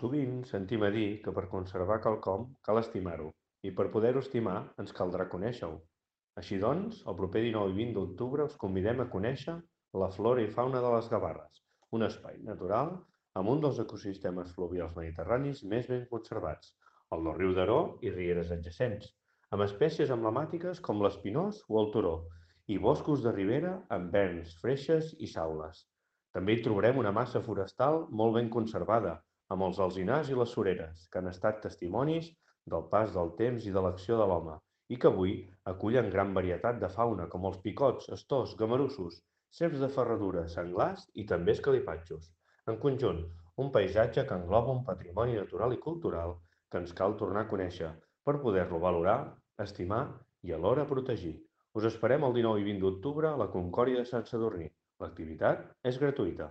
Sovint sentim a dir que per conservar quelcom cal estimar-ho, i per poder-ho estimar ens caldrà conèixer-ho. Així doncs, el proper 19 i 20 d'octubre us convidem a conèixer la flora i fauna de les Gavarres, un espai natural amb un dels ecosistemes fluvials mediterranis més ben conservats, el del riu Daró i rieres adjacents, amb espècies emblemàtiques com l'espinós o el turó, i boscos de ribera amb verns, freixes i saules. També hi trobarem una massa forestal molt ben conservada, amb els alzinars i les sureres, que han estat testimonis del pas del temps i de l'acció de l'home, i que avui acullen gran varietat de fauna com els picots, astors, gamarussos, serps de ferradura, senglars i també escalipatxos. En conjunt, un paisatge que engloba un patrimoni natural i cultural que ens cal tornar a conèixer per poder-lo valorar, estimar i alhora protegir. Us esperem el 19 i 20 d'octubre a la Concòrdia de Sant Sadurní. L'activitat és gratuïta.